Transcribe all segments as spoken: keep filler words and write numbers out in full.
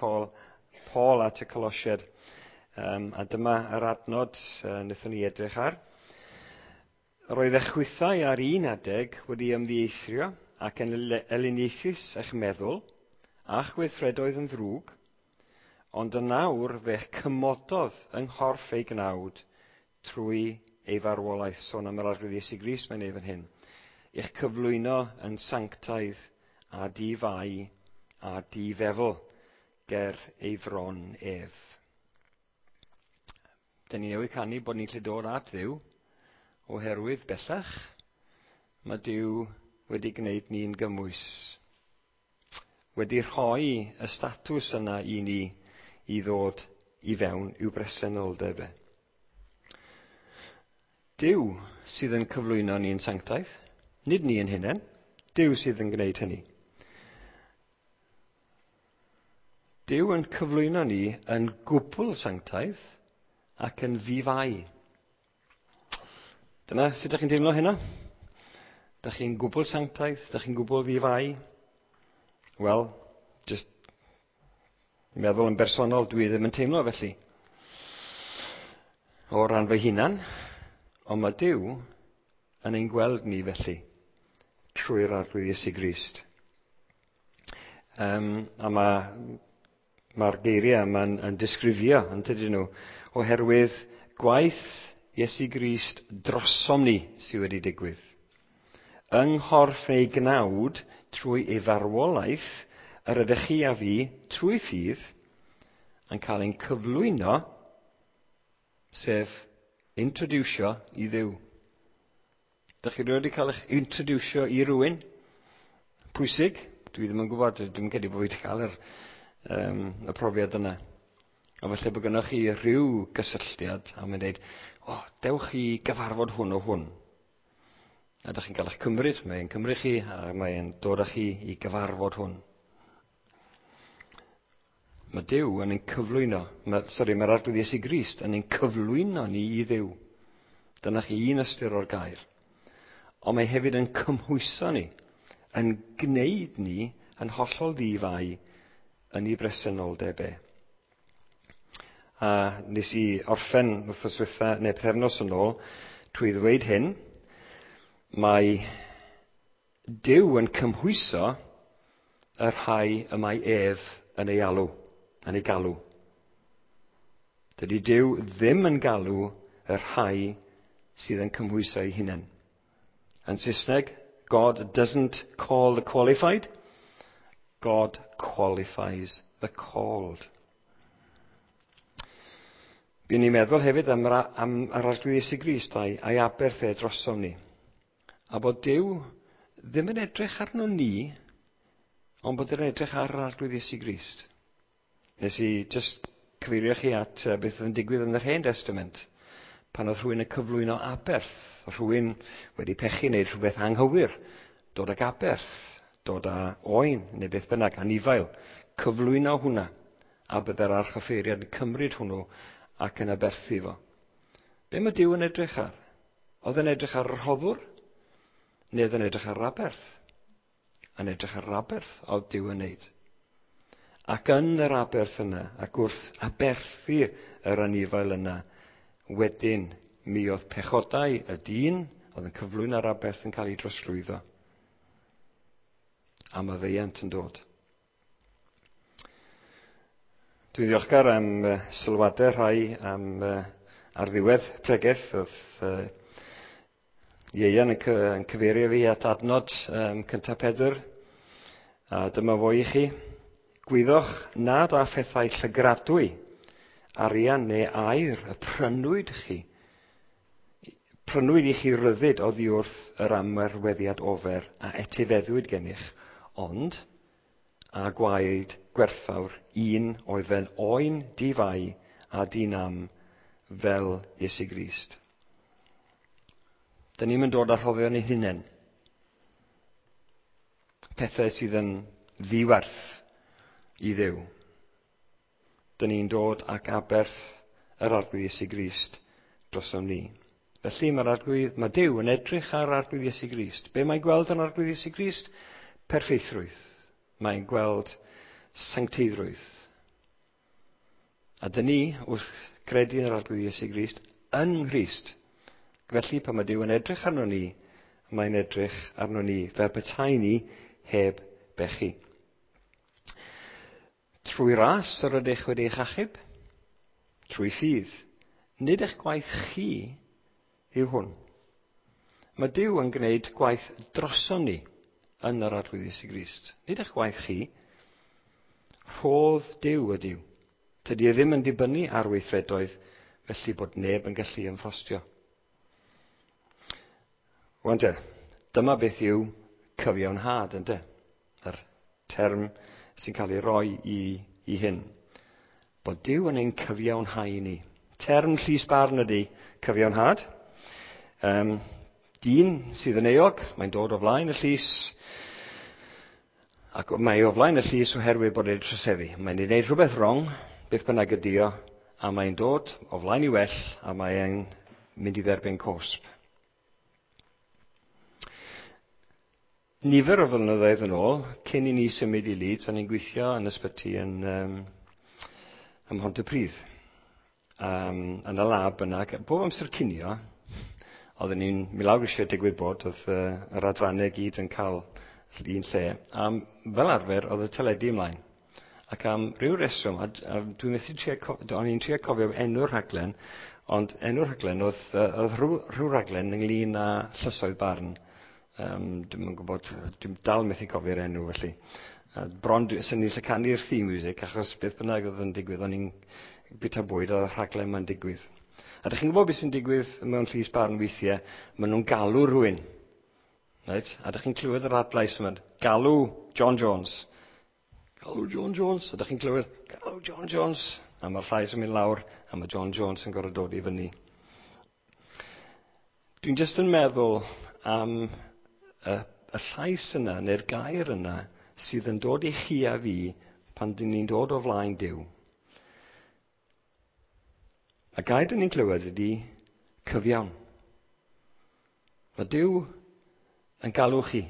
Col, Paul at y Colosiaid. Um, a dyma yr adnod uh, wnaethon ni edrych ar. Roedd eich chwithau ar un adeg wedi ymddieithrio ac yn elyniaethus eich meddwl a'ch gweithredoedd yn ddrwg, ond yn awr fe'ch cymododd yng nghorff ei gnawd trwy ei farwolaeth. Sôn am yr Arglwydd Iesu Grist mae'n ei fan hyn. I'ch cyflwyno yn sanctaidd a di-fai a di-feddwl ger ei fron ef. Dyn ni newydd canu bod ni'n gallu dod at Dduw oherwydd bellach mae Duw wedi gwneud ni'n gymwys. Wedi rhoi y statws yna i ni i ddod i fewn i'w bresenoldeb e. Duw sydd yn cyflwyno ni'n sanctaidd, nid ni yn hunain. Duw sydd yn gwneud hynny. Duw yn cyflwyno ni yn gwbl sanctaidd ac yn ddi-fai. Dyna sut ydych chi'n teimlo hynna? Dych chi'n gwbl sanctaidd? Dych chi'n gwbl ddi-fai? Wel, just meddwl yn bersonol, dwi ddim yn teimlo felly. O ran fy hunan, ond mae Duw yn ein gweld ni felly, trwy'r Arglwydd Iesu Grist. Um, a mae mae'r geiriau yma'n yn disgrifio, yn tydyn nhw, oherwydd gwaith Iesu Grist drosom ni sydd wedi digwydd. Yng nghorff ei gnawd trwy ei farwolaeth, yr ydych chi a fi, trwy ffydd, yn cael ein cyflwyno, sef introducio i Dduw. Dych chi wedi cael eich introducio i rywun pwysig? Dwi ddim yn gwybod, dwi'n credu bod fi wedi cael yr, um, y profiad yna. A falle bod gennych chi rhyw gysylltiad a mae'n dweud, o, oh, dewch i gyfarfod hwn o hwn. A dych chi'n cael eich cymryd, mae'n cymryd chi a mae'n dod â chi i gyfarfod hwn. Mae Duw yn ein cyflwyno, mae, sori, mae'r Arglwydd Iesu Grist yn ein cyflwyno ni i Dduw. Dyna chi un ystyr o'r gair. Ond mae hefyd yn cymhwyso ni, yn gwneud ni yn hollol ddi-fai yn ei bresenoldeb e. A nes i orffen wythnos ddiwetha, neu pythefnos yn ôl, trwy ddweud hyn, mae Duw yn cymhwyso y rhai y mae ef yn ei alw, yn ei galw. Dydy Duw ddim yn galw y rhai sydd yn cymhwyso ei hunain. Yn Saesneg, God doesn't call the qualified, God qualifies the called. Bu'n ni'n meddwl hefyd am, am yr Arglwydd Iesu Grist a'i, a'i aberth e drosom ni. A bod Duw ddim yn edrych arno ni, ond bod yn edrych ar yr Arglwydd Iesu Grist. Nes i just cyfeirio chi at uh, beth oedd yn digwydd yn yr Hen Testament. Pan oedd rhywun yn cyflwyno aberth, rhywun wedi pechu neu rhywbeth anghywir, dod ag aberth, dod â oen neu beth bynnag, anifail, cyflwyno hwnna, a byddai'r archoffeiriad yn cymryd hwnnw ac yn aberthu fo. Be mae Duw yn edrych ar? Oedd yn edrych ar yr rhoddwr? Neu oedd yn edrych ar yr aberth? Yn edrych ar yr aberth oedd Duw yn neud. Ac yn yr aberth yna, ac wrth aberthu yr anifail yna, wedyn mi oedd pechodau y dyn oedd yn cyflwyno'r aberth yn cael ei drosglwyddo. A maddeuant yn dod. Dwi'n ddiolchgar am uh, sylwadau rhai am, uh, ar ddiwedd pregeth. Oedd uh, Ieuan yn, cy yn cyfeirio fi at adnod um, cyntaf Pedr. A dyma fo i chi. Gwyddoch nad â phethau llygradwy, arian neu aur y prynwyd chi. Prynwyd i chi ryddid oddi wrth yr amwerweddiad ofer a etifeddwyd gennych, ond a gwaed gwerthfawr un oedd fel oen di-fai a di-nam fel Iesu Grist. Dyn ni'n dod â rhoddion ein hunain. Pethau sydd yn ddiwerth i Dduw. Dyn ni'n dod ac aberth yr Arglwydd Iesu Grist drosom ni. Felly mae'r Arglwydd, mae Duw yn edrych ar Arglwydd Iesu Grist. Be mae'n gweld yn Arglwydd Iesu Grist? Perffeithrwydd. Mae'n gweld sancteiddrwydd. A dyn ni, wrth credu yn yr Arglwydd Iesu Grist, yng Nghrist. Felly, pan mae Duw yn edrych arno ni, mae'n edrych arno ni fel petai ni heb bechu. Trwy ras yr ydych wedi eich achub, trwy ffydd. Nid eich gwaith chi yw hwn. Mae Duw yn gwneud gwaith droson ni yn yr Arglwydd Iesu Grist. Nid eich gwaith chi. Rhodd Duw ydyw. Tydi e ddim yn dibynnu ar weithredoedd, felly bod neb yn gallu ymffrostio. Wan te, dyma beth yw cyfiawnhad, ynte? Yr term sy'n cael ei roi i, i hyn. Bod Duw yn ein cyfiawnhau ni. Term llys barn ydy cyfiawnhad. Um, dyn sydd yn euog, mae'n dod o flaen y llys, ac mae o flaen y llys oherwydd bod e'n troseddu. Mae'n ei wneud rhywbeth wrong, beth bynnag ydi o, a mae'n dod o flaen i well, a mae'n mynd i dderbyn cosb. Nifer o flynyddoedd yn ôl, cyn i ni symud i Leeds, o'n i'n gweithio yn ysbyty yn, um, ym Mhontypridd. Um, yn y lab yna, bob amser cinio, oedden ni'n mynd lawr eisiau digwydd bod, oedd uh, yr adrannau gyd yn cael un lle. A fel arfer, oedd y teledu ymlaen. Ac am ryw reswm, a, a dwi'n methu trio, o'n i'n trio cofio enw'r rhaglen, ond enw'r rhaglen oedd, oedd rhyw, rhyw rhaglen ynglyn â llysoedd barn. Um, dwi'm yn gwybod, dwi'n dal methu cofio'r enw felly. Uh, bron, sy'n ni'n lle canu'r theme music, achos beth bynnag oedd yn digwydd, o'n i'n bwyta bwyd, oedd y rhaglen ma'n digwydd. A dych chi'n gwybod beth sy'n digwydd mewn llys barn weithiau, maen nhw'n galw rhywun. Right? A dych chi'n clywed yr adlais yma, galw John Jones. Galw John Jones. A dych chi'n clywed, galw John Jones. A mae'r llais yn mynd lawr, a mae John Jones yn gorfod dod i fyny. Dwi'n jyst yn meddwl am y, y llais yna, neu'r gair yna, sydd yn dod i chi a fi pan dyn ni'n dod o flaen Duw. Y gair dyn ni'n clywed ydy cyfiawn. Mae Duw yn galw chi.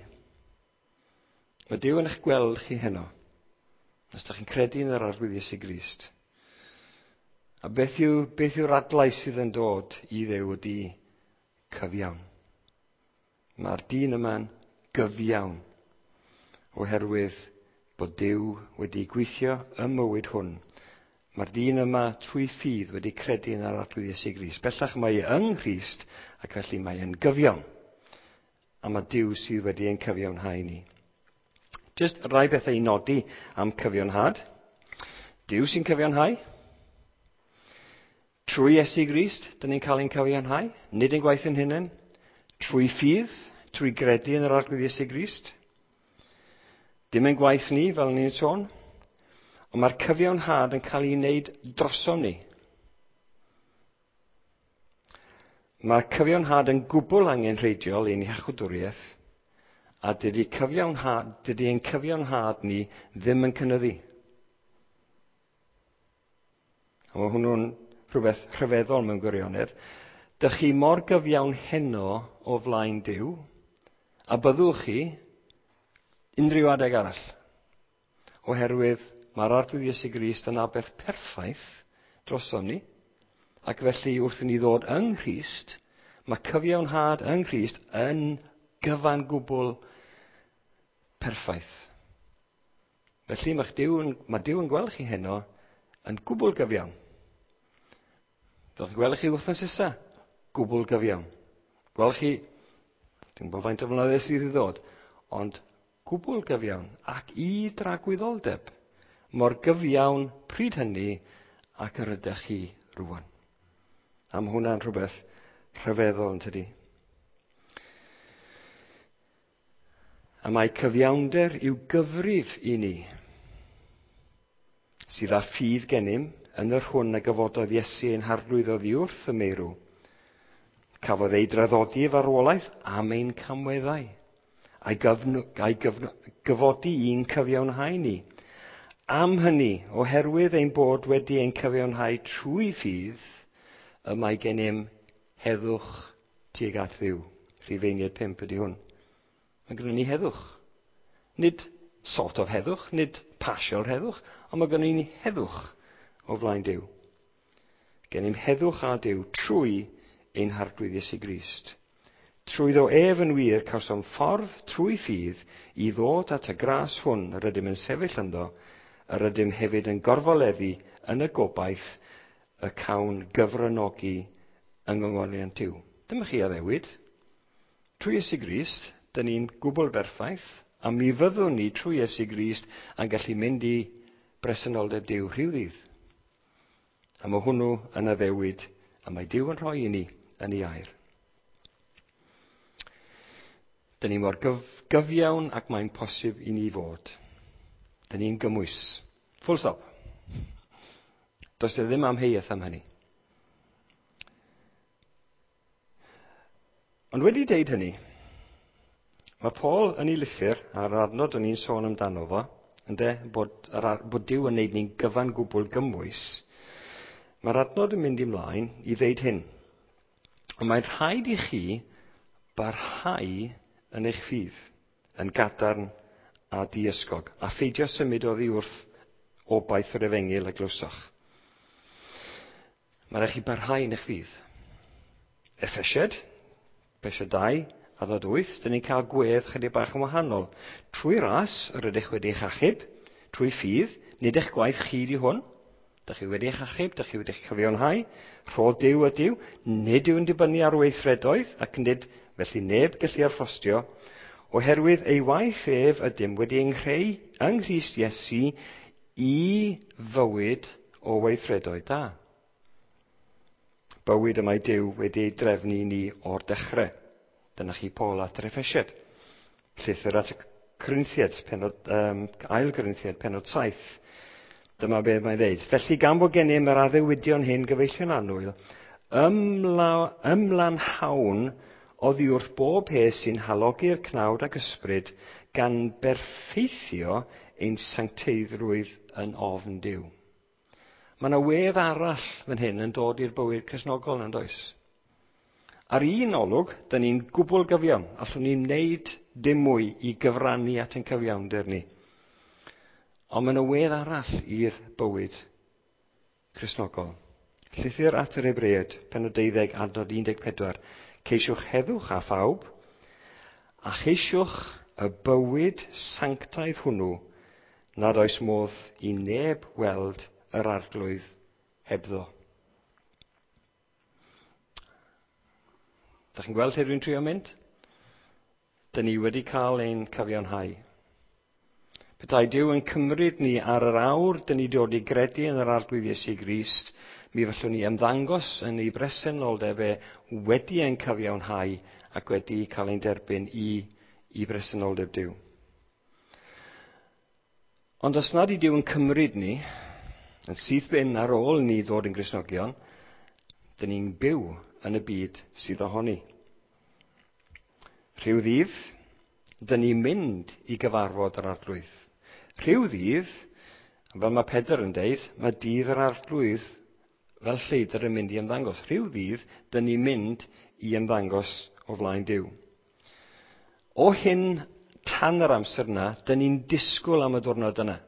Mae Duw yn eich gweld chi heno. Os ydych chi'n credu yn yr Arglwydd Iesu Grist. A beth yw, beth yw'r adlais sydd yn dod i Dduw ydy cyfiawn. Mae'r dyn yma'n gyfiawn oherwydd bod Duw wedi gweithio ym mywyd hwn. Mae'r dyn yma trwy ffydd wedi credu yn yr Arglwydd Iesu Grist. Bellach mae e yng Nghrist ac felly mae e'n gyfiawn. A mae Duw sydd wedi ein cyfiawnhau ni. Just rai bethau i nodi am cyfiawnhad. Duw sy'n cyfiawnhau. Trwy Iesu Grist, dyn ni'n cael ein cyfiawnhau. Nid ein gwaith ein hunain. Trwy ffydd, trwy gredu yn yr Arglwydd Iesu Grist. Dim ein gwaith ni, fel ni'n sôn. Ond mae'r cyfiawnhad yn cael ei wneud drosom ni. Mae cyfiawnhad yn gwbl angenrheidiol i'n iachawdwriaeth, a dydy cyfiawnhad, dydy ein cyfiawnhad ni ddim yn cynyddu. A mae hwnnw'n rhywbeth rhyfeddol mewn gwirionedd. Dych chi mor gyfiawn heno o flaen Duw, a byddwch chi unrhyw adeg arall. Oherwydd mae'r Arglwydd Iesu Grist yn aberth perffaith drosom ni, ac felly wrth i ni ddod yng Nghrist, mae cyfiawnhad yng Nghrist yn gyfan gwbl perffaith. Felly mae Duw yn, mae Duw yn gweld chi heno yn gwbl gyfiawn. Fel chi'n gweld chi wythnos nesa, gwbl gyfiawn. Gweld chi, dwi'n gwybod faint o flynyddoedd sydd i ddod, ond gwbl gyfiawn ac i dragwyddoldeb. Mor gyfiawn pryd hynny ac yr ydych chi rwan. A mae hwnna'n rhywbeth rhyfeddol yn tydi. A mae cyfiawnder i'w gyfrif i ni, sydd â ffydd gennym yn yr hwn a gyfododd Iesu ein harglwydd oddi wrth y meirw. Cafodd ei draddodi i farwolaeth am ein camweddau, a'i, gyfn- a'i gyfn- gyfodi i'n cyfiawnhau ni. Am hynny, oherwydd ein bod wedi ein cyfiawnhau trwy ffydd, y mae gennym heddwch tuag at Dduw. Rhufeiniaid pump ydy hwn. Mae gennym ni heddwch. Nid sort of heddwch, nid partial heddwch, ond mae gennym ni heddwch o flaen Duw. Gennym heddwch â Duw trwy ein Harglwydd Iesu Grist. Trwyddo ef yn wir cawsom ffordd trwy ffydd i ddod at y gras hwn yr ydym yn sefyll ynddo, yr ydym hefyd yn gorfoleddu yn y gobaith y cawn gyfranogi yng ngogoniant Duw. Dyma chi addewid. Trwy Iesu Grist, dyn ni'n gwbl berffaith, a mi fyddwn ni trwy Iesu Grist yn gallu mynd i bresenoldeb Duw rhyw ddydd. A mae hwnnw yn addewid, a mae Duw yn rhoi i ni yn ei air. Dyn ni mor gyf gyfiawn ac mae'n posib i ni fod. Dyn ni'n gymwys. Full stop. Does e ddim amheuaeth am hynny. Ond wedi deud hynny, mae Paul yn ei lythyr, a'r adnod o'n i'n sôn amdano fo, ynde, bod, bod Duw yn neud ni'n gyfan gwbl gymwys, mae'r adnod yn mynd ymlaen i ddeud hyn. Ond mae'n rhaid i chi barhau yn eich ffydd, yn gadarn a diysgog, a pheidio symud oddi wrth obaith yr efengyl a glywsoch. Mae'n rhaid chi barhau yn eich ffydd. Effesiad, Efesiad dau, adnod wyth, dyn ni'n cael gwedd chydig bach yn wahanol. Trwy ras yr ydych wedi eich achub, trwy ffydd, nid eich gwaith chi di hwn. Dych chi wedi eich achub, dych chi wedi eich cyfiawnhau, rhodd Duw ydyw, nid yw'n dibynnu ar weithredoedd, ac nid felly neb gallu arffostio, oherwydd ei waith ef ydym wedi ein creu yng Nghrist Iesu i fywyd o weithredoedd da. Bywyd y mae Duw wedi ei drefnu i ni o'r dechrau. Dyna chi Paul at yr Effesiad. Llythyr at y Corinthiad, penod, um, ail Corinthiad, penod saith. Dyma beth mae'n dweud. Felly gan fod gennym yr addewidion hyn gyfeillion annwyl, ymla, ymlanhawn oddi wrth bob peth sy'n halogi'r cnawd ac ysbryd, gan berffeithio ein sancteiddrwydd yn ofn Duw. Mae yna wedd arall fan hyn yn dod i'r bywyd Cristnogol, yn does? Ar un olwg, dyn ni'n gwbl gyfiawn. Allwn ni wneud dim mwy i gyfrannu at ein cyfiawnder ni. Ond mae yna wedd arall i'r bywyd Cristnogol. Llythyr at yr Hebreaid, pennod deuddeg, adnod un deg pedwar. Ceisiwch heddwch â phawb, a cheisiwch y bywyd sanctaidd hwnnw nad oes modd i neb weld yr Arglwydd hebddo. Dach chi'n gweld lle dwi'n trio mynd? Dyn ni wedi cael ein cyfiawnhau. Petai Duw yn cymryd ni ar yr awr, dyn ni dod i gredu yn yr Arglwydd Iesu Grist, mi fallwn ni ymddangos yn ei bresenoldeb e wedi ein cyfiawnhau ac wedi cael ein derbyn i, i bresenoldeb Duw. Ond os nad yw Duw yn cymryd ni, yn syth bin ar ôl ni ddod yn Gristnogion, dyn ni'n byw yn y byd sydd ohoni. Rhyw ddydd, dyn ni'n mynd i gyfarfod yr Arglwydd. Rhyw ddydd, fel mae Pedr yn deud, mae dydd yr Arglwydd fel lleidr yn mynd i ymddangos. Rhyw ddydd, dyn ni'n mynd i ymddangos o flaen Duw. O hyn tan yr amser yna, dyn ni'n disgwyl am y diwrnod yna.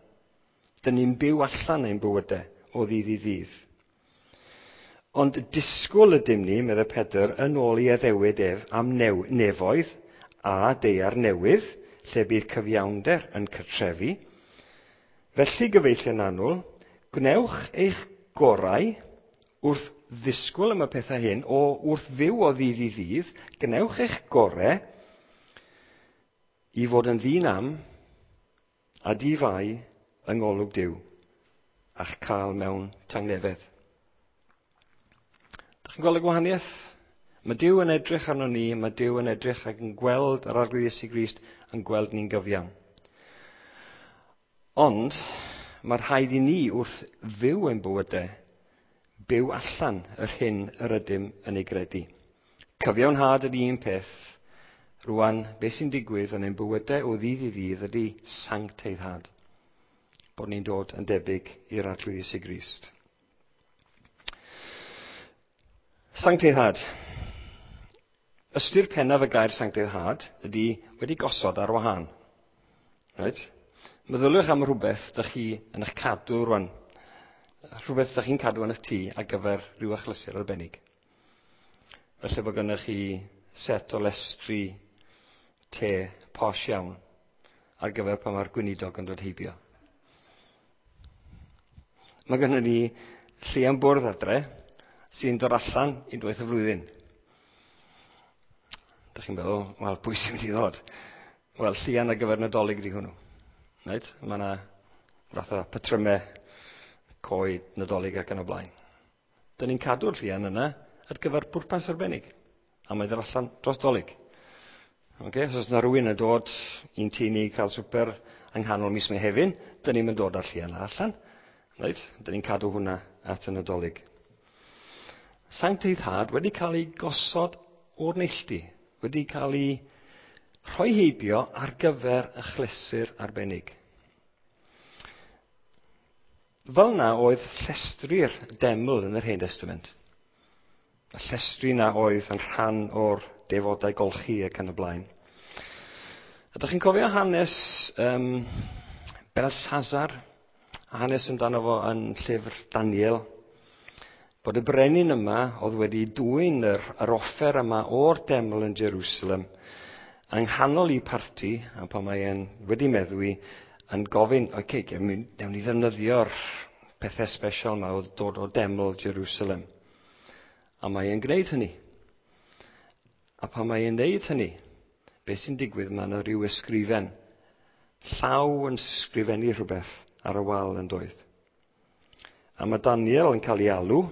Dyn ni'n byw allan ein bywydau o ddydd i ddydd. Ond disgwyl ydym ni, meddai Pedr, yn ôl i addewid ef am new, nefoedd a daear newydd, lle bydd cyfiawnder yn cartrefu. Felly, gyfeillion annwyl, gwnewch eich gorau wrth ddisgwyl am y pethau hyn, o wrth fyw o ddydd i ddydd, gwnewch eich gorau i fod yn ddyn am a di-fai yng ngolwg Duw, a'ch cael mewn tangnefedd. Dach chi'n gweld y gwahaniaeth? Mae Duw yn edrych arno ni, mae Duw yn edrych ac yn gweld yr Arglwydd Iesu Grist yn gweld ni'n gyfiawn. Ond mae rhaid i ni wrth fyw ein bywydau, byw allan yr hyn yr ydym yn ei gredu. Cyfiawnhad ydy un peth. Rwan, beth sy'n digwydd yn ein bywydau o ddydd i ddydd ydy sancteiddhad. Bod ni'n dod yn debyg i'r Arglwydd Iesu Grist. Sancteiddhad. Ystyr pennaf y gair sancteiddhad ydy wedi gosod ar wahân. Right? Meddyliwch am rhywbeth dych chi yn eich cadw rwan. Rhywbeth ydych chi'n cadw yn eich tŷ ar gyfer rhyw achlysur arbennig. Felly bod gennych chi set o lestri te posh iawn ar gyfer pan mae'r gweinidog yn dod heibio. Mae gennym ni llian bwrdd adre sy'n dod allan unwaith y flwyddyn. Dych chi'n meddwl, wel, pwy sy'n mynd i ddod? Wel, llian ar gyfer Nadolig ydi hwnnw. Right? Mae yna fath o patrymau coed Nadolig ac yn y blaen. Dyn ni'n cadw'r llian yna ar gyfer pwrpas arbennig. A mae'n dod allan dros Dolig. Okay? Os oes yna rhywun yn dod i'n tŷ ni cael swper yng nghanol mis Mehefin, dyn ni'n mynd dod â'r llian allan. Right? Dyn ni'n cadw hwnna at y Nadolig. Sancteiddhad wedi cael ei gosod o'r neilltu, wedi cael ei rhoi heibio ar gyfer achlysur arbennig. Fel na oedd llestri'r deml yn yr Hen Testament. Y llestri na oedd yn rhan o'r defodau golchi ac yn y blaen. Ydych chi'n cofio hanes um, Belshazzar? Hanes amdano fo yn llyfr Daniel. Bod y brenin yma oedd wedi dwyn yr, yr offer yma o'r deml yn Jerusalem yng nghanol i parti, a pan mae e'n wedi meddwi, yn gofyn, oce, okay, newn ni ddefnyddio'r pethau special yma o dod o deml Jerusalem. A mae e'n gwneud hynny. A pan mae e'n gwneud hynny, beth sy'n digwydd, mae yna rhyw ysgrifen. Llaw yn sgrifennu rhywbeth ar y wal yn doedd. A mae Daniel yn cael ei alw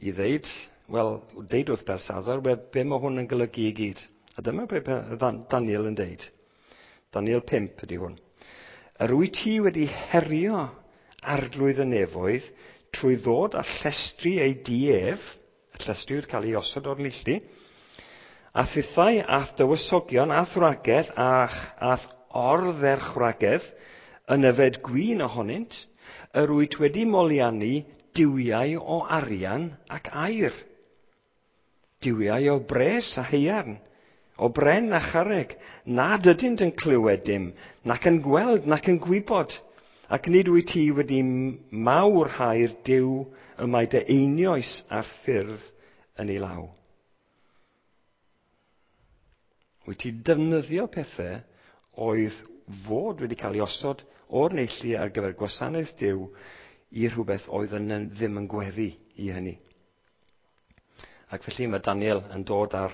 i ddeud, wel, deud wrth Belshazzar, be, be mae hwn yn golygu i gyd. A dyma be Daniel yn deud. Daniel pump ydy hwn. Yr wyt ti wedi herio arglwydd y nefoedd trwy ddod â llestri ei di ef, y llestri wedi cael ei osod o'r neilltu, a thithau a'th dywysogion a'th wragedd a'th ordderchwragedd yn yfed gwin ohonynt, yr wyt wedi moliannu duwiau o arian ac aur, duwiau o bres a haearn, o bren a charreg, nad ydynt yn clywed dim, nac yn gweld, nac yn gwybod, ac nid wyt ti wedi mawrhau'r Duw y mae dy einioes a'r ffyrdd yn ei law. Wyt ti defnyddio pethau oedd fod wedi cael ei osod o'r neilltu ar gyfer gwasanaeth Duw i rhywbeth oedd yn, ddim yn gweddu i hynny. Ac felly mae Daniel yn dod ar,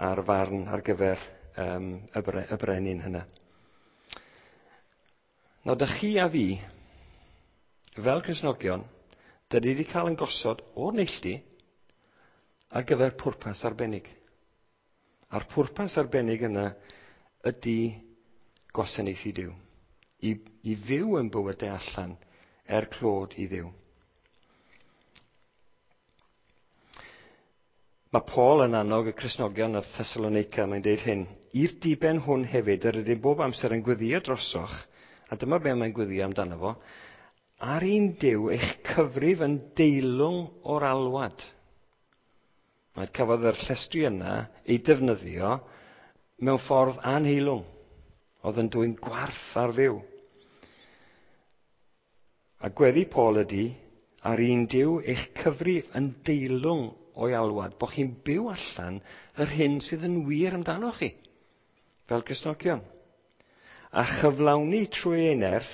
ar farn ar gyfer um, y, bre, y brenin hynna. Nawr, dych chi a fi, fel Cristnogion, dyn ni wedi cael yn gosod o'r neilltu ar gyfer pwrpas arbennig. A'r pwrpas arbennig yna ydy gwasanaethu Duw. I, i fyw yn bywydau allan er clod i Dduw. Mae Paul yn annog y Cristnogion o Thessalonica, mae'n deud hyn, i'r diben hwn hefyd, yr ydym bob amser yn gweddio drosoch, a dyma be mae'n gweddio amdano fo, ar un Duw eich cyfrif yn deilwng o'r alwad. Mae cafodd yr llestri yna ei defnyddio mewn ffordd anheilwng, oedd yn dwyn gwarth ar Dduw. A gweddi Paul ydy, ar un Duw eich cyfrif yn deilwng o'i alwad, bod chi'n byw allan yr hyn sydd yn wir amdano chi, fel Cristnogion. A chyflawni trwy ei nerth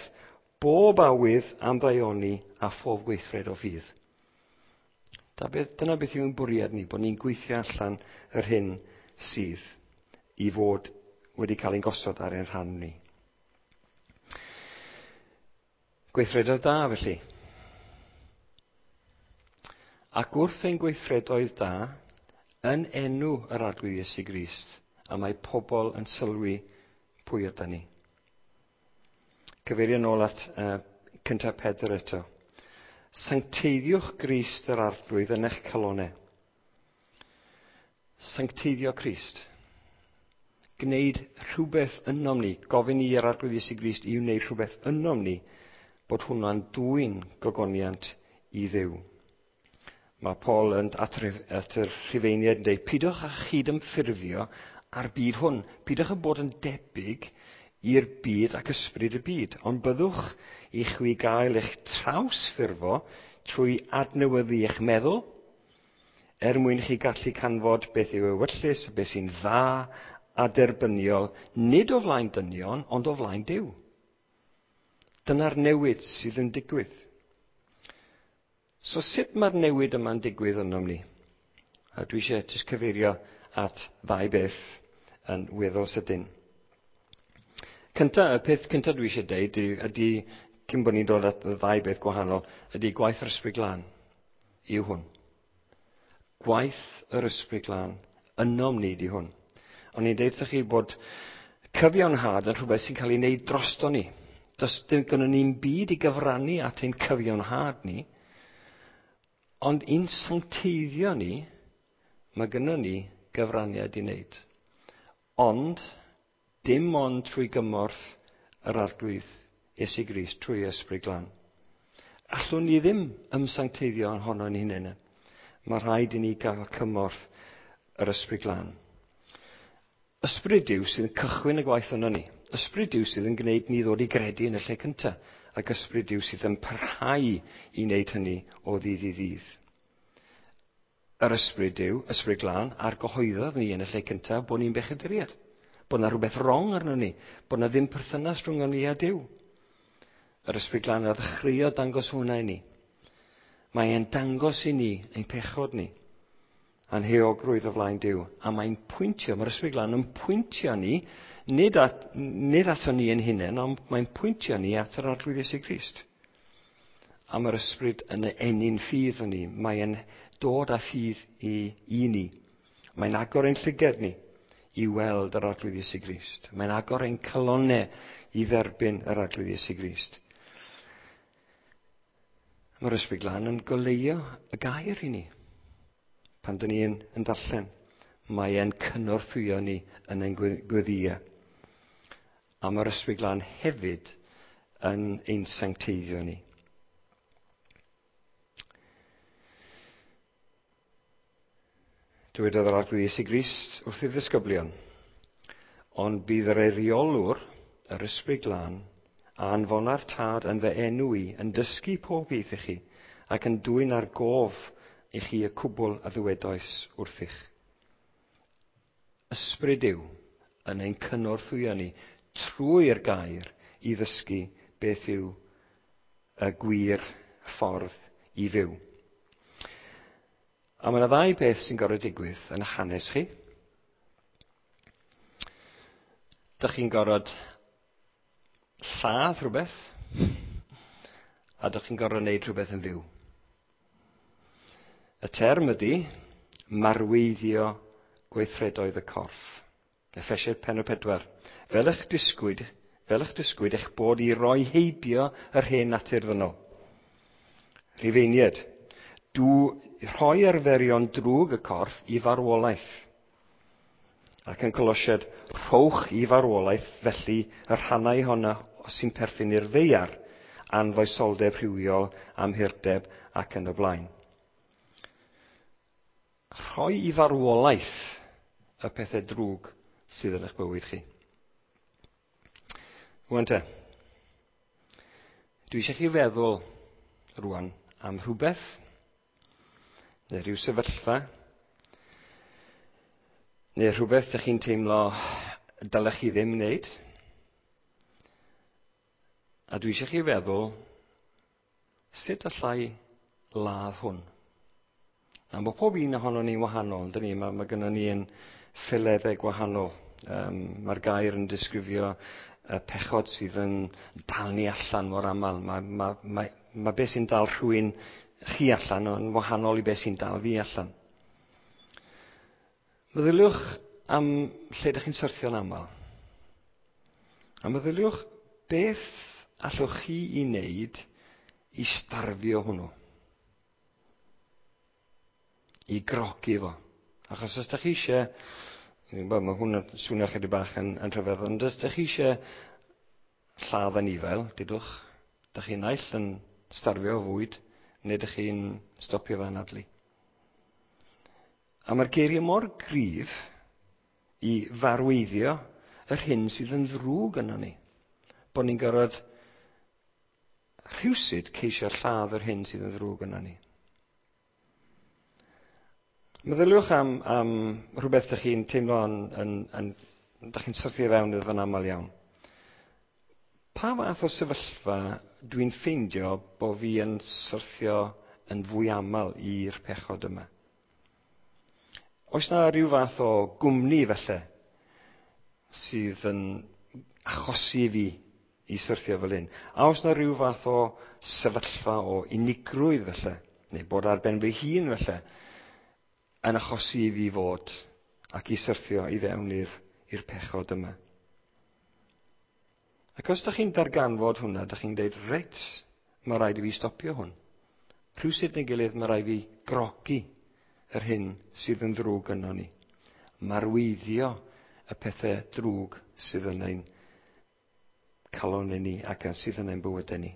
bob awydd am ddaioni a phob gweithred o ffydd. Dyna beth yw'n bwriad ni, bod ni'n gweithio allan yr hyn sydd i fod wedi cael ein gosod ar ein rhan ni. Gweithredoedd da, felly. Ac wrth ein gweithredoedd da, yn enw yr Arglwydd Iesu Grist, a mae pobl yn sylwi pwy ydan ni. Cyfeirio nôl at uh, cyntaf Pedr eto. Sancteiddiwch Grist yr Arglwydd yn eich calonau. Sancteiddio Crist. Gwneud rhywbeth ynom ni, gofyn i'r Arglwydd Iesu Grist i wneud rhywbeth ynom ni, bod hwnna'n dwyn gogoniant i Dduw. Mae Paul yn at, at y Rhufeiniaid yn dweud, pidwch â chydymffurfio â'r byd hwn. Pidwch â bod yn debyg i'r byd ac ysbryd y byd, ond byddwch i chwi gael eich trawsffurfo trwy adnewyddu eich meddwl, er mwyn chi gallu canfod beth yw ewyllys, beth sy'n dda a derbyniol, nid o flaen dynion, ond o flaen Duw. Dyna'r newid sydd yn digwydd. So sut mae'r newid yma'n digwydd ynom ni? A dwi eisiau jyst cyfeirio at ddau beth yn weddol sydyn. Cynta, y peth cyntaf dwi eisiau deud ydy, cyn bod ni'n dod at y ddau beth gwahanol, ydy gwaith yr Ysbryd Glân yw hwn. Gwaith yr Ysbryd Glân ynom ni di hwn. O'n i'n deud wrthych chi bod cyfiawnhad yn rhywbeth sy'n cael ei wneud drosto ni. Does dim gynnon ni'n byd i gyfrannu at ein cyfiawnhad ni, ond i'n sancteiddio ni, mae gynnon ni gyfraniad i wneud. Ond, dim ond trwy gymorth yr Arglwydd Iesu Grist, trwy Ysbryd Glân. Allwn ni ddim ymsancteiddio ohono'n hunain. Mae rhaid i ni gael cymorth yr Ysbryd Glân. Ysbryd Duw sydd yn cychwyn y gwaith yno ni. Ysbryd Duw sydd yn gwneud ni ddod i gredu yn y lle cyntaf. Ac Ysbryd Duw sydd yn parhau i wneud hynny o ddydd i ddydd. Yr Ysbryd Duw, Ysbryd Glân, a'r gyhoeddodd ni yn y lle cyntaf bod ni'n bechaduriaid. Bod yna rhywbeth wrong arno ni. Bod yna ddim perthynas rhwng ni a Duw. Yr Ysbryd Glân a ddechreuodd dangos hwnna i ni. Mae e'n dangos i ni ein pechod ni, a'n heogrwydd o flaen Duw. A mae'n pwyntio, mae'r Ysbryd Glân yn pwyntio ni, nid, at, nid ato ni ein hunain, ond mae'n pwyntio ni at yr Arglwydd Iesu Grist. A mae'r Ysbryd yn ennyn ffydd yn ni. Mae'n dod â ffydd i, i ni. Mae'n agor ein llyged ni i weld yr Arglwydd Iesu Grist. Mae'n agor ein calonnau i dderbyn yr Arglwydd Iesu Grist. Mae'r Ysbryd Glân yn goleuo y gair i ni. Pan dyn ni yn, yn darllen, mae e'n cynorthwyo ni yn ein gweddïau. A mae'r Ysbryd Glân hefyd yn ein sancteiddio ni. Dywedodd yr Arglwydd Iesu Grist wrth ei ddisgyblion, ond bydd yr eiriolwr, yr Ysbryd Glân, a anfona'r Tad yn fy enw i, yn dysgu pob beth i chi, ac yn dwyn ar gof i chi y cwbl a ddywedoes wrthych. Ysbryd Duw yn ein cynorthwyo ni trwy'r gair i ddysgu beth yw y gwir ffordd i fyw. A mae yna ddau beth sy'n gorfod digwydd yn eich hanes chi. Dych chi'n gorfod lladd rhywbeth, a dych chi'n gorfod wneud rhywbeth yn fyw. Y term ydy marweiddio gweithredoedd y corff. Effesiaid pennod pedwar. Fel eich disgwyd, fel eich disgwyd eich bod i roi heibio yr hen natur ddynol. Rhufeiniaid, dw rhoi arferion drwg y corff i farwolaeth. Ac yn Colosiaid, rhowch i farwolaeth felly y rhannau honna sy'n perthyn i'r ddaear, anfoesoldeb rhywiol, amhurdeb ac yn y blaen. Rhoi i farwolaeth y pethau drwg sydd yn eich bywyd chi. Rwan te, dwi eisiau chi feddwl rwan am rhywbeth, neu rhyw sefyllfa, neu rhywbeth ydych chi'n teimlo dylech chi ddim wneud. A dwi eisiau chi feddwl, sut allai ladd hwn? A mae pob un ohono ni'n wahanol, yndyn ni? Mae, mae gynnon ni yn ffileddau gwahanol. Um, mae'r gair yn disgrifio y pechod sydd yn dal ni allan mor aml. Mae, mae, mae, mae beth sy'n dal rhywun chi allan yn wahanol i beth sy'n dal fi allan. Meddyliwch am lle ydych chi'n syrthio'n aml. A meddyliwch beth allwch chi i wneud i starfio hwnnw. I grogi fo. Achos os ydych chi eisiau, mae hwn yn swnio chydig bach yn, yn rhyfedd, ond os ydych chi eisiau lladd anifail, dudwch, ydych chi'n naill yn starfio o fwyd, neu ydych chi'n stopio fe anadlu. A mae'r geiriau mor gryf i farweiddio yr hyn sydd yn ddrwg yno ni. Bod ni'n gorfod rhywsut ceisio lladd yr hyn sydd yn ddrwg yno ni. Meddyliwch am, am rhywbeth ydych chi'n teimlo yn, yn, yn, ydych chi'n syrthio fewn iddo fe'n aml iawn. Pa fath o sefyllfa dwi'n ffeindio bod fi yn syrthio yn fwy aml i'r pechod yma? Oes na rhyw fath o gwmni felly sydd yn achosi fi i syrthio fel hyn? A oes na rhyw fath o sefyllfa o unigrwydd felly, neu bod ar ben fy hun felly, yn achosi i fi fod ac i syrthio i fewn i'r, i'r pechod yma? Ac os ydych chi'n darganfod hwnna, ydych chi'n dweud, reit, mae rhaid i fi stopio hwn. Rhywsut neu gilydd, mae rhaid i fi grogi yr hyn sydd yn ddrwg yno ni. Marweiddio y pethau drwg sydd yn ein calon ni ac sydd yn ein bywydau ni.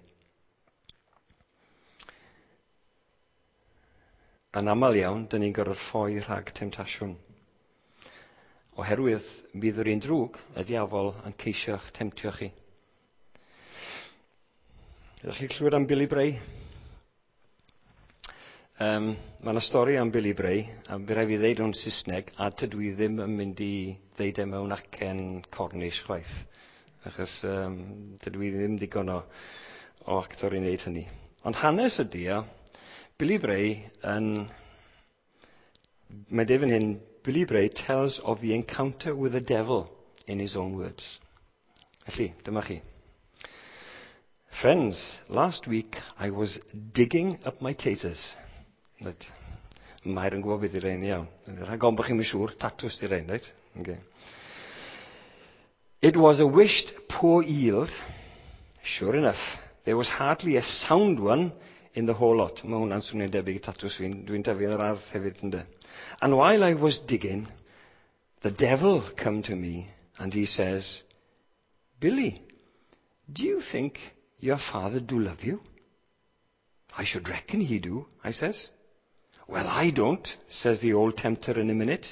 Yn aml iawn, dyn ni'n gorfod ffoi rhag temtasiwn. Oherwydd bydd yr un drwg, y diafol, yn ceisio'ch temtio chi. Ydych chi'n clywed am Billy Bray? Um, mae yna stori am Billy Bray, a by rhaid fi ddeud o'n Saesneg, a tydw i ddim yn mynd i ddeud e mewn acen Cornish chwaith, achos um, tydw i ddim digon o, o actor i wneud hynny. Ond hanes ydy o, Billy Bray yn... Mae dweud fan hyn, Billy Bray tells of the encounter with the devil in his own words. Felly, dyma chi. Friends, last week I was digging up my taters. Right. Mair yn gwybod beth i rein iawn. Rhag ofn bod chi'n siŵr, tatws di rein, right? Okay. It was a wished poor yield. Sure enough, there was hardly a sound one in the whole lot. Mae hwnna'n swnio'n debyg i tatws fi'n, dwi'n tyfu yn yr ardd hefyd ynddo. And while I was digging, the devil come to me and he says, Billy, do you think your father do love you? I should reckon he do, I says. Well, I don't, says the old tempter in a minute.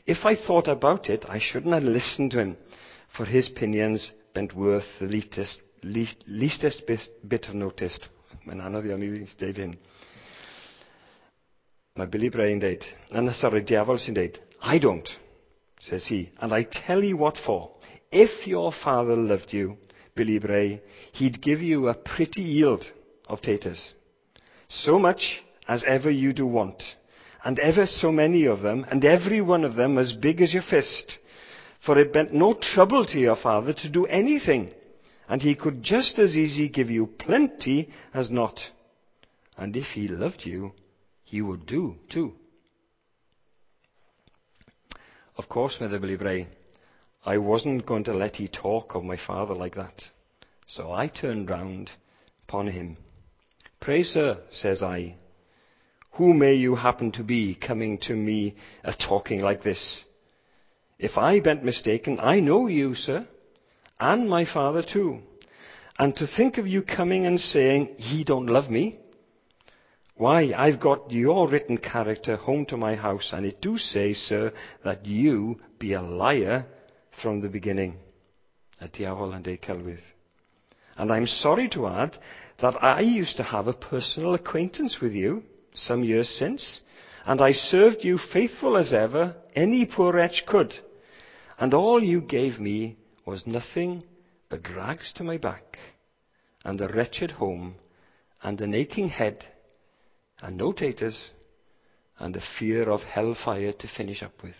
If I thought about it, I shouldn't have listened to him, for his pinions ben't worth the leastest, leastest bit, bit of notice. Mae'n anodd iawn i ddeud hyn. Mae Billy Bray yn deud, na, sorry, diafol sy'n deud, I don't, says he, and I tell you what for. If your father loved you, Billy Bray, he'd give you a pretty yield of taters. So much as ever you do want, and ever so many of them, and every one of them as big as your fist. For it ben't no trouble to your father to do anything, and he could just as easy give you plenty as not. And if he loved you, he would do too. Of course, meddai Billy Bray, I wasn't going to let he talk of my father like that. So I turned round upon him. Pray, sir, says I, who may you happen to be coming to me a talking like this? If I ben't mistaken, I know you, sir, and my father too. And to think of you coming and saying, he don't love me. Why, I've got your written character home to my house, and it do say, sir, that you be a liar from the beginning. Y diafol yn deud celwydd. And I'm sorry to add that I used to have a personal acquaintance with you some years since, and I served you faithful as ever any poor wretch could. And all you gave me was nothing but rags to my back, and a wretched home, and an aching head, and no taters, and the fear of hellfire to finish up with.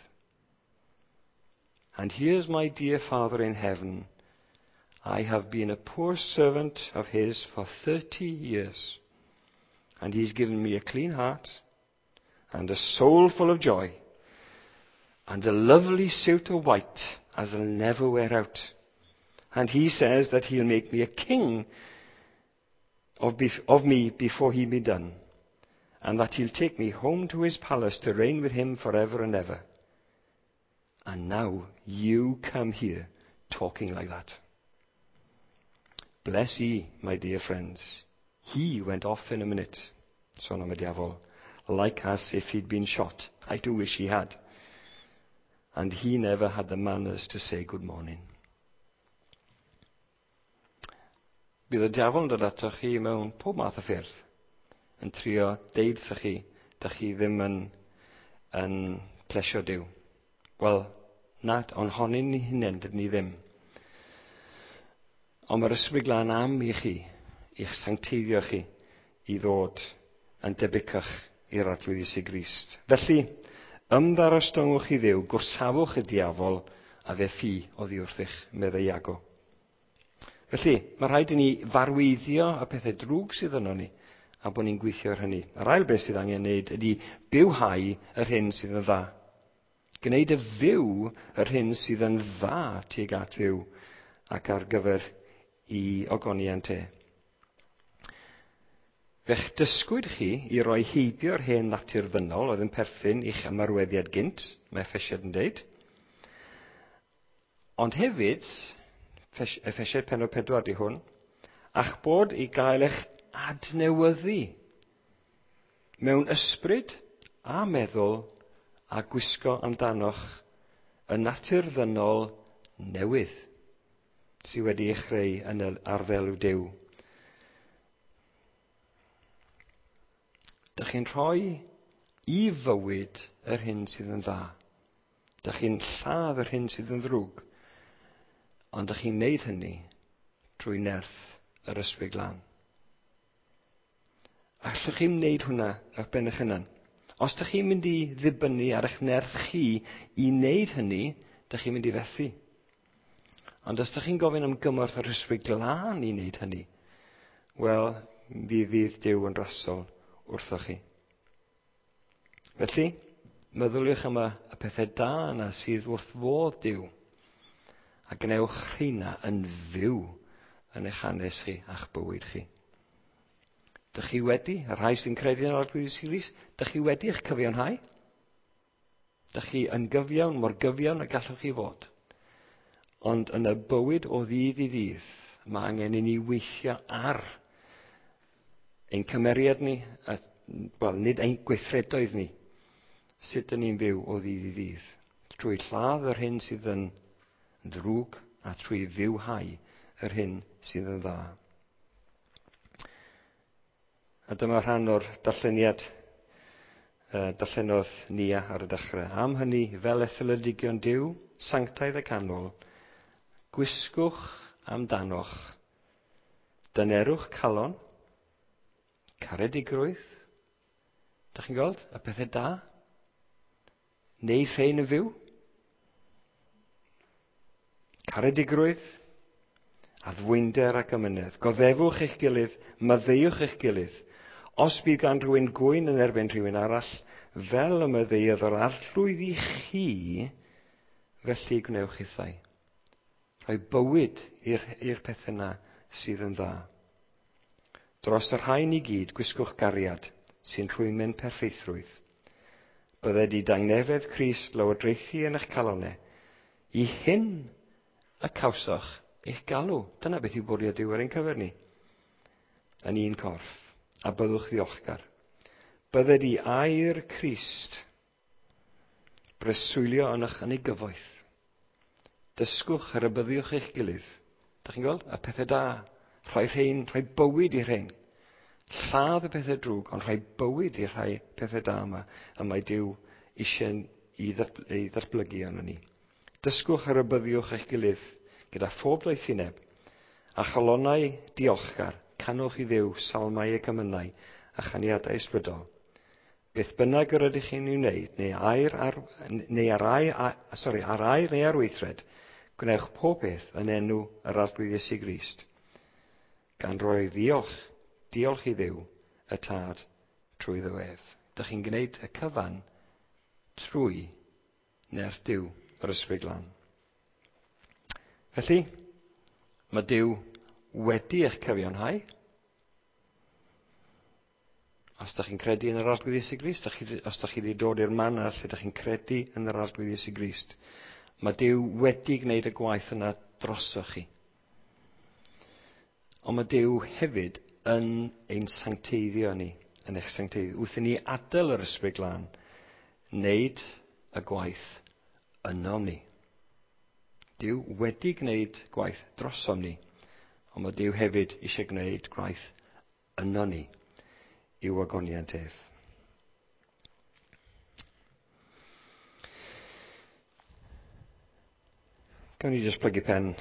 And here's my dear Father in heaven. I have been a poor servant of his for thirty years, and he's given me a clean heart and a soul full of joy and a lovely suit of white as I'll never wear out. And he says that he'll make me a king of, bef- of me before he be done, and that he'll take me home to his palace to reign with him forever and ever. And now you come here talking like that. Bless ye, my dear friends. He went off in a minute, son am y diafol, like as if he'd been shot. I do wish he had. And he never had the manners to say good morning. Bydd y diafol yn dod ato chi mewn pob math o ffyrdd, yn trio deud wrthoch chi, dych chi ddim yn, yn plesio Duw. Wel, na, ond honyn ni hunain, dydyn ni ddim. Ond mae'r Ysbryd Glân am i chi, i'ch sancteiddio chi, i ddod yn debycach i'r Arglwydd Iesu Grist. Felly, ymddarostyngwch i Dduw, gwrsafwch y diafol, a fe ffi oddi wrthych, meddai Iago. Felly, mae rhaid i ni farweiddio y pethau drwg sydd yno ni, a bod ni'n gweithio ar hynny. Yr ail beth sydd angen wneud ydy bywhau yr hyn sydd yn dda. Gwneud y fyw yr hyn sydd yn dda tuag at Dduw ac ar gyfer i ogoniant e. Fe'ch dysgwyd chi i roi heibio'r hen natur ddynol oedd yn perthyn i'ch ymarweddiad gynt, mae Effesiaid yn deud. Ond hefyd, Effesiaid pennod pedwar di hwn, a'ch bod i gael eich adnewyddu mewn ysbryd a meddwl a gwisgo amdanoch y natur ddynol newydd sydd wedi ei chreu yn arddel Duw. Dych chi'n rhoi i fywyd yr hyn sydd yn dda. Dych chi'n lladd yr hyn sydd yn ddrwg. Ond dych chi'n neud hynny trwy nerth yr Ysbryd Glân. Allwch chi'm wneud hwnna ar ben eich hunan. Os dych chi'n mynd i ddibynnu ar eich nerth chi i wneud hynny, dych chi'n mynd i fethu. Ond os dych chi'n gofyn am gymorth yr Ysbryd Glân i wneud hynny, wel, fi fydd Duw yn rasol wrthoch chi. Felly, meddyliwch am y, y pethau da yna sydd wrth fodd Duw, a gwnewch rheina yn fyw yn eich hanes chi a'ch bywyd chi. Dych chi wedi, y rhai sy'n credu yn yr Arglwydd Iesu Grist, dych chi wedi eich cyfiawnhau? Dych chi yn gyfiawn, mor gyfiawn y gallwch chi fod. Ond yn y bywyd o ddydd i ddydd, mae angen i ni weithio ar ein cymeriad ni, a, wel, nid ein gweithredoedd ni, sut dyn ni'n byw o ddydd i ddydd. Trwy lladd yr hyn sydd yn ddrwg a trwy fywhau yr hyn sydd yn dda. A dyma rhan o'r darlleniad uh, darllenodd Nia ar y dechrau. Am hynny, fel etholedigion Duw, sanctaidd y canol, gwisgwch amdanoch, dynerwch calon, caredigrwydd, dach chi'n gweld, y pethau da, neud rhain yn fyw, caredigrwydd, addfwynder ac amynedd, goddefwch eich gilydd, maddeuwch eich gilydd. Os bydd gan rhywun gwyn yn erbyn rhywun arall, fel y maddeuodd yr Arglwydd i chi, felly gwnewch hithau. Rhoi bywyd i'r pethau yna sydd yn dda. Dros y rhain i gyd, gwisgwch gariad sy'n rhwymyn perffeithrwydd. Bydded i dangnefedd Crist lywodraethu yn eich calonau. I hyn y cawsoch eich galw. Dyna beth yw bwriad Duw ar ein cyfer ni. Yn un corff. A byddwch ddiolchgar. Bydded i air Crist breswylio yn eich yn ei gyfoeth. Dysgwch a rybuddiwch eich gilydd. Dach chi'n gweld? Y pethau da. Rhoi rhain, rhoi bywyd i'r rhain. Lladd y pethau drwg, ond rhoi bywyd i'r rhai pethau da yma. A mae Duw eisiau i ddatblygu arno ni. Dysgwch a rybuddiwch eich gilydd gyda phob doethineb. A chalonnau diolchgar, canwch i Dduw salmau ac emynau a chaniadau ysbrydol. Beth bynnag yr ydych chi'n ei wneud, neu air ar, neu ar, ai, a, sorry, ar air neu ar weithred, gwnewch pob peth yn enw yr Arglwydd Iesu Grist, gan roi ddiolch, diolch i Dduw, y Tad, trwy ef. Dych chi'n gwneud y cyfan trwy nerth Duw, yr Ysbryd Glân. Felly, mae Duw wedi eich cyfiawnhau. Os ydych chi'n credu yn yr Arglwydd Iesu Grist, os ydych chi wedi dod i'r man yna lle ydych chi'n credu yn yr Arglwydd Iesu Grist, mae Duw wedi gwneud y gwaith yna drosoch chi. Ond mae Duw hefyd yn ein sancteiddio ni, yn eich sancteiddio. Wrth i ni adael yr Ysbryd Glân, wneud y gwaith ynom ni. Duw wedi gwneud gwaith drosom ni, Ond mae Duw hefyd eisiau gwneud gwaith yno ni i'w ogoniant ef. Gawn ni jyst plygu pen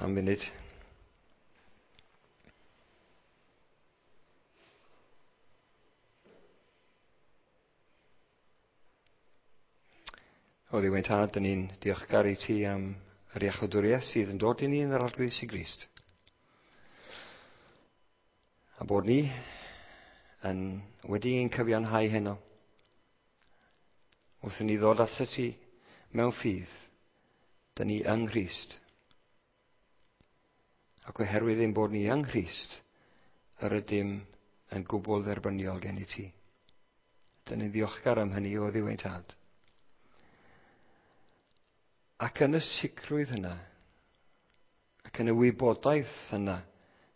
am munud. O Dduw ein Tad, dyn ni'n diolchgar i ti am yr iachawdwriaeth sydd yn dod i ni yn yr Arglwydd Iesu Grist. A bod ni yn wedi ein cyfiawnhau heno. Wrth i ni ddod atat ti mewn ffydd, dyn ni yng Nghrist. Ac oherwydd ein bod ni yng Nghrist, yr ydym yn gwbl dderbyniol gen i ti. Dyn ni'n ddiolchgar am hynny o Dduw ein Tad. Ac yn y sicrwydd yna, ac yn y wybodaeth yna,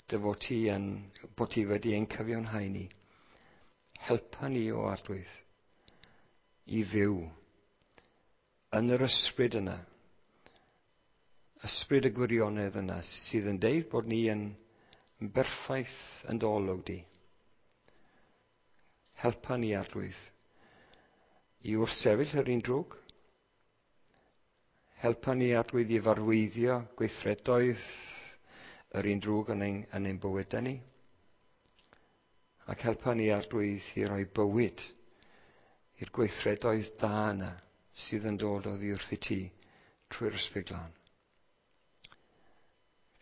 dy fod ti yn, bod ti wedi ein cyfiawnhau ni, helpa ni o Arglwydd i fyw yn yr ysbryd yna, ysbryd y gwirionedd yna sydd yn deud bod ni yn berffaith yn dy olwg di. Helpa ni, Arglwydd, i wrthsefyll yr un drwg. Helpa ni, Arglwydd, i farweiddio gweithredoedd yr un drwg yn ein, yn ein bywydau ni. Ac helpa ni, Arglwydd, i roi bywyd i'r gweithredoedd da yna sydd yn dod oddi wrth i ti trwy'r Ysbryd Glân.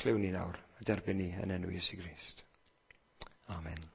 Clywn ni nawr a derbyn ni yn enw Iesu Grist. Amen.